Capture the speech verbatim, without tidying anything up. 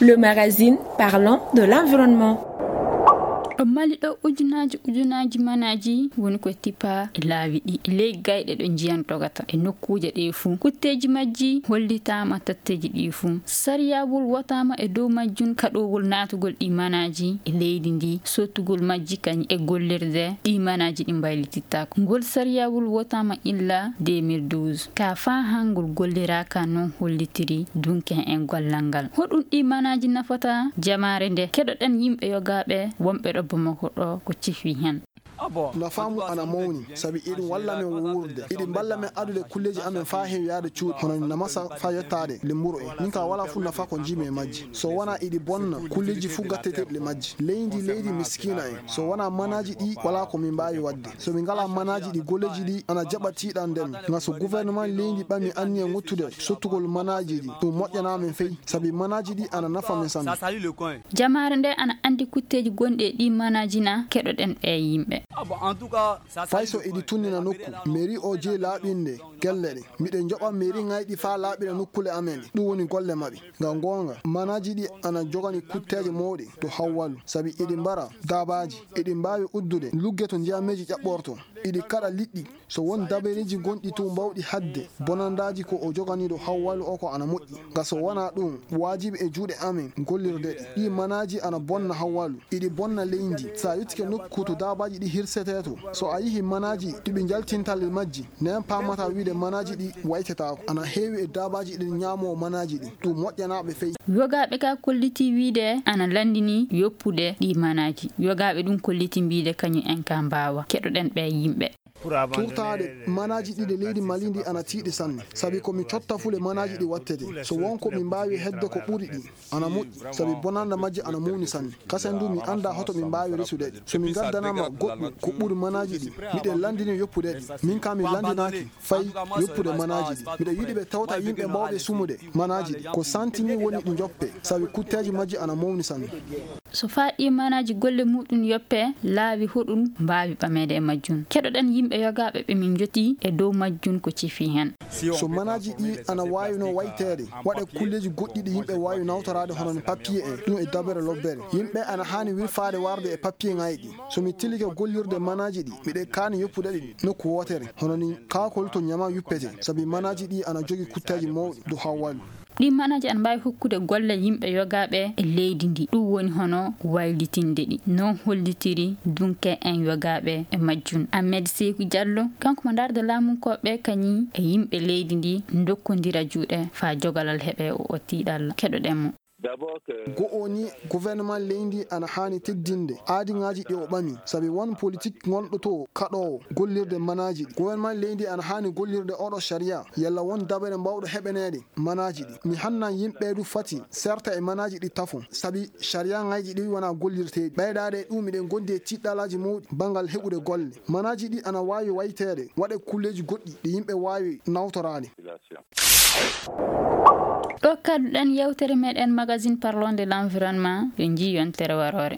Le magazine parlant de l'environnement. Ɗo Mali ɗo, ujunaaji ujunaaji manaaji woni ko tippa e laawi ɗi, e ley gayɗe ɗo njiyan togata, e nokkuuje ɗe fuu. Kutteeji majji hollitaama tatteeji ɗi fuu. Sariyawol wotaama e dow majjun kaɗowol naatugol ɗi manaaji e leydi ndi, sottugol majji kañi e gollirde ɗi manaaji ɗi mbaylitittaako. Ngol sariyawol wotaama illa deux mille douze. Ka faa hangol golliraaka non hollitiri dunke en gollal ngal. Hoɗum ɗi manaaji nafata jamaare nde? Keɗoɗen yimɓe yogaaɓe wonɓe ɗo Bamako ɗo ko cifi hen. Nafa mum ana mawni, sabi iɗum walla men wuurde, iɗi mballa men adude kulleeji amen faa heewi yaade cuuɗi, hono namasa faa yottaade lemburu en. Min ka wala fuu nafa ko njiimi e majji. So wona iɗi bonna kulleeji fuu gatteteeɗi e majji. Leydi, leydi miskiina en. So wona manaaji ɗi, wala ko min mbaawi waɗde. So min ngala manaaji ɗi, golleeji ɗi ana jaɓa tiiɗande men. Nga so gouvernement leydi ɓami anniya ŋottude sottugol manaaji ɗi, ɗum moƴƴana men fey, sabi manaaji ɗi ana nafa men sanne. Jamaare nde ana anndi kutteeji gonɗi e ɗi manaaji na? Keɗoɗen ɓee yimɓe. Fay so iɗi tunnina nokku, mairie o jeyi laaɓinde gelle ɗe. Miɗen njoɓa mairie ŋayɗi faa laaɓira nokkule amen ɗe. Ɗum woni golle maɓɓe. Ngam goonga, manaaji ɗi ana jogani kutteeje mawɗe to Hawwalu, sabi iɗi mbara daabaaji, iɗi mbaawi uddude lugge to njiyameeji ƴaɓɓorto, iɗi kaɗa liɗɗi. So won dabareeji gonɗi to mbawɗi haɗde bonandaaji ko o jogani ɗo Hawwalu o ko ana moƴƴi. Nga so wona ɗum, waajibi e juuɗe amen gollirde ɗi. Ɗi manaaji ana bonna Hawwalu, iɗi bonna leydi. So a yottike nokku to daabaaji ɗi hirsetee to, so a yihi manaaji ɗi ɓe njaltinta le majji, nen paamata wiide manaaji ɗi waytetaako. Ana heewi e daabaaji ɗi ñaamoo manaaji ɗi. Ɗum moƴƴanaaɓe fey. Yogaaɓe ka kolliti wiide ana lanndini yoppude ɗi manaaji. Yogaaɓe ɗum kolliti mbiide kañum en ka mbaawa. Keɗoɗen ɓee yimɓe. Turtaade manaaji ɗi e leydi Mali ndi ana tiiɗi sanne, sabi ko mi cotta fule manaaji ɗi wattete. So won ko mi mbaawi hedde ko ɓuri ɗi, ana moƴƴi, sabi bonanda majji ana mawni sanne. Kasen du mi annda hoto mi mbaawi resude ɗi. So mi ngaddanaama goɗɗum ko ɓuri manaaji ɗi, miɗen lanndini yoppude ɗi. Min ka mi lanndinaaki fay yoppude manaaji ɗi. Miɗo yiɗi ɓe tawta yimɓe mawɓe sumude manaaji ɗi. Ko santini woni ɗi njoppe, sabi kutteeji majji ana mawni sanne. So faa ɗi manaaji golle muɗum yoppe, laawi hoɗum mbaawi ɓameede e majjum? Keɗoɗen yimɓe yogaaɓe ɓe min njoti e dow majjum ko cifi hen. So manaaji ɗi ana waawi no wayteede, waɗe kulleeji goɗɗi ɗi yimɓe waawi nawtoraade, hono no papiye en, ɗum e dabere lobbere. Yimɓe ana haani wirfaade warde e papiye ŋayɗi. So mi tilike gollirde manaaji ɗi, miɗen kaani yoppude ɗi nokku wootere, hono ni kaakol to ñama yuppete, sabi manaaji ɗi ana jogi kutteeji mawɗi dow Hawwalu. Ɗi manaaji ana mbaawi hokkude golle yimɓe yogaaɓe e leydi ndi. Ɗum woni hono waylitinde ɗi. Non hollitiri dunke en yogaaɓe e majjum. Ahmed Seeku Diallo, kanko mo ndaarde laamunkooɓe kañi e yimɓe leydi ndi ndokkondira juuɗe faa jogalal heɓe o, o tiiɗalla. Keɗoɗen mo. Go'o ni, gouvernement leydi ana haani teddinde aadiŋaaji ɗi o ɓami, sabi won politik ngonɗo to kaɗoowo gollirde manaaji ɗi. Gouvernement leydi ana haani gollirde oɗo sharia, yalla won dabere mbawɗo heɓaneede manaaji ɗi. Mi hannan yimɓe du fati serta e manaaji ɗi tafon, sabi sharia ŋayji ɗi wona gollirteeɗi. Ɓeydaade e ɗum, miɗen gondi e tiɗɗalaaji mawɗi banngal heɓude golle. Manaaji ɗi ana waawi wayteede, waɗe kulleeji goɗɗi ɗi yimɓe waawi nawtoraade. Ɗo kadduɗen yewtere meɗen magazine Parlons de l'environnement, yo njii yontere waroore.